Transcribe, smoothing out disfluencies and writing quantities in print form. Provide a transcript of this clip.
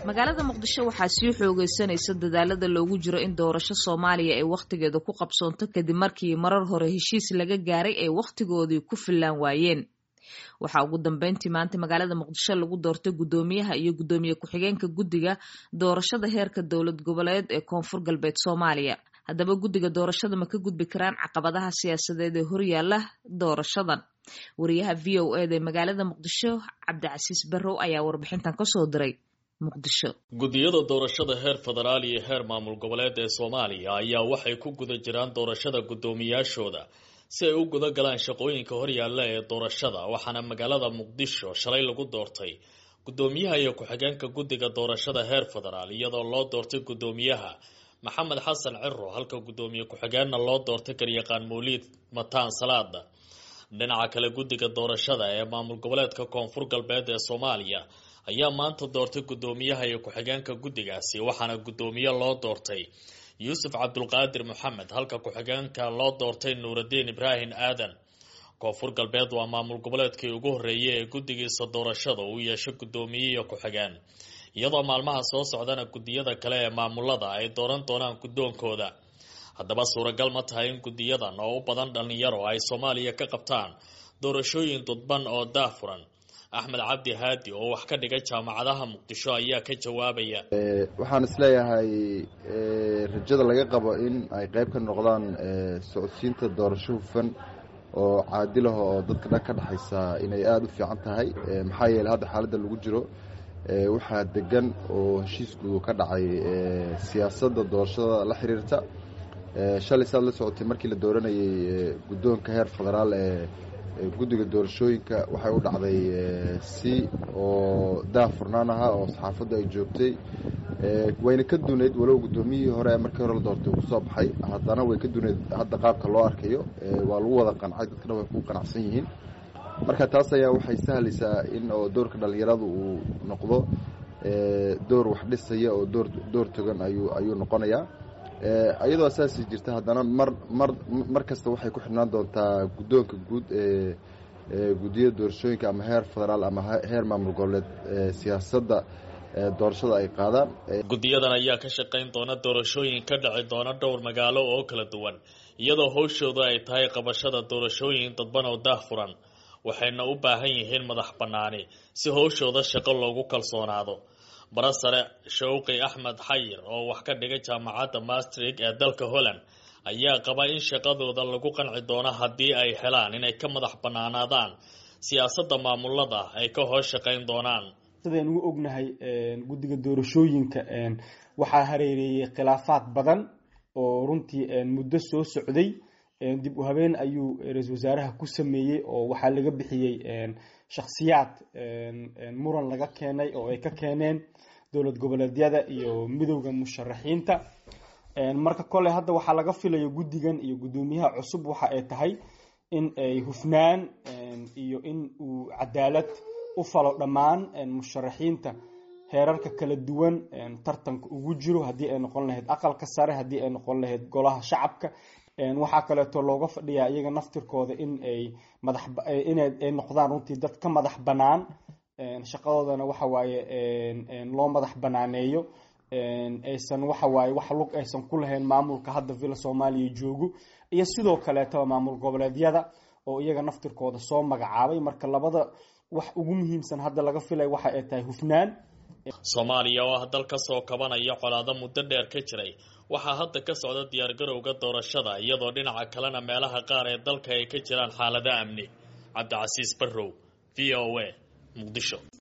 Magaalada Muqdisho waxaa sii xoogeysanaysa dadaalada loogu jiro in doorasho Soomaaliya ay wakhtigeeda ku qabsoonto kadib markii marar hore heshiis laga gaaray ay wakhtigoodii ku fillaan waayeen. Waxaa ugu dambeyntii maanta magaalada Muqdisho lagu doortay guddoomiyaha iyo guddoomiye ku-xigeenka guddiga doorashada heerka dowlad goboleed ee Koonfur Galbeed Soomaaliya. Haddaba guddiga doorashada ma ka gudbi karaan caqabadaha siyaasadeed ee horyaala doorashadan? Wariyaha VOA da ee magaalada Muqdisho, Cabdicasiis Barrow, ayaa warbixintan kasoo diray Muqdisho. Guddiyada doorashada heer federaal iyo heer maamul goboleed ee Soomaaliya ayaa waxay ku guda jiraan doorashada guddoomiyaashooda si ay u guda galaan shaqooyinka horyaalla ee doorashada. Waxaana magaalada Muqdisho shalay lagu doortay guddoomiyaha iyo ku-xigeenka guddiga doorashada heer federaal, iyadoo loo doortay guddoomiyaha Maxamed Xasan Ciro, halka guddoomiye ku-xigeenna loo doortay garyaqaan Mawliid Mataan Salaada. Dhinaca kale, guddiga doorashada ee maamul goboleedka Koonfur Galbeed ee Soomaaliya ayaa maanta doortay guddoomiyaha iyo ku-xigeenka guddigaasi, waxaana guddoomiye loo doortay Yuusuf Cabdulqaadir Maxamed, halka ku-xigeenka loo doortay Nuuraddiin Ibraahim Aadan. Koonfur Galbeed waa maamul goboleedkii ugu horreeyay ee guddigiisa doorashada uu yeesho guddoomiye iyo ku-xigeen, iyadoo maalmaha soo socdana guddiyada kale ee maamulada ay dooran doonaan guddoonkooda. Haddaba suuragal ma tahay in guddiyadan oo u badan dhallinyaro ay Soomaaliya ka qabtaan doorashooyin dudban oo daafuran? Axmed Cabdi Haadi oo wax ka dhigay jaamacadaha Muqdisho ayaa ka jawaabaya. Waxaan isleeyahay rajada laga qabo in ay qayb ka noqdaan socodsiinta doorasho hufan oo caadil ah oo dadka dhan ka dhexaysa inay aada u fiican tahay, maxaa yeeley hadda xaaladda lagu jiro waxaa degan oo heshiisku ka dhacay siyaasadda doorashada la xiriirta. Shalay saad la socotay, markii la dooranayey guddoonka heer federaal ee guddiga doorashooyinka, waxay u dhacday si oo daahfurnaan ahaa oo saxaafaddu ay joogtay. Wayna ka dunayd, walow guddoomiyihii hore markii hore la doortay uu kusoo baxay, haddana way ka dunayd. Hadda qaabka loo arkayo waa lagu wada qancay, dadkana way ku qanacsan yihiin. Marka taas ayaa waxay sahlaysaa in oo doorka dhallinyaradu uu noqdo door wax dhisaya oo door togan ayuu noqonayaa. Iyadoo saasi jirta, haddana mar kasta waxay ku xidhnaan doontaa guddoonka guud ee guddiyada doorashooyinka, ama heer federaal ama heer maamul goboleed, siyaasadda doorashada ay qaadaan. Guddiyadan ayaa ka shaqayn doona doorashooyin ka dhici doona dhowr magaalo oo kala duwan, iyadoo howshooda ay tahay qabashada doorashooyin dadban oo daahfuran, waxayna u baahan yihiin madax bannaani si howshooda shaqo loogu kalsoonaado. Barasare Shawqi Axmed Xayir oo wax ka dhigay jaamacadda Maastricht ee dalka Holland ayaa qaba in shaqadooda lagu qanci doono haddii ay helaan inay ka madax bannaanaadaan siyaasadda maamulada ay ka hoos shaqayn doonaan. Sidaynu u ognahay, guddiga doorashooyinka waxaa hareereeyey khilaafaad badan oo runtii muddo soo socday. Dib u habeen ayuu ra-iisul wasaaraha ku sameeyey oo waxaa laga bixiyey shakhsiyaad muran laga keenay oo ay ka keeneen dowlad goboleedyada iyo midowda musharaxiinta. Marka kole hadda waxaa laga filayo guddigan iyo guddoomiyaha cusub waxa ay tahay in ay hufnaan iyo in uu cadaalad u falo dhammaan musharaxiinta heerarka kala duwan tartanka ugu jiro, haddii ay noqon lahayd aqalka sare, haddii ay noqon lahayd golaha shacabka. Waxaa kaleeto looga fadhiyaa iyaga naftirkooda in ay madax inay noqdaan runtii dad ka madax bannaan, shaqadoodana waxa waaye loo madax banaaneeyo, aysan waxa waaye wax lug aysan ku lahayn maamulka hadda Villa Soomaaliya joogo iyo sidoo kaleetaba maamul goboleedyada oo iyaga naftirkooda soo magacaabay. Marka labada wax ugu muhiimsan hadda laga filay waxa ay tahay hufnaan. Soomaaliya oo ah dal ka soo kabanaya colaado muddo dheer ka jiray, waxaa hadda ka socda diyaargarowga doorashada, iyadoo dhinaca kalena meelaha qaar ee dalka ay ka jiraan xaalado amni. Cabdicasiis Barrow, VOA, Muqdisho.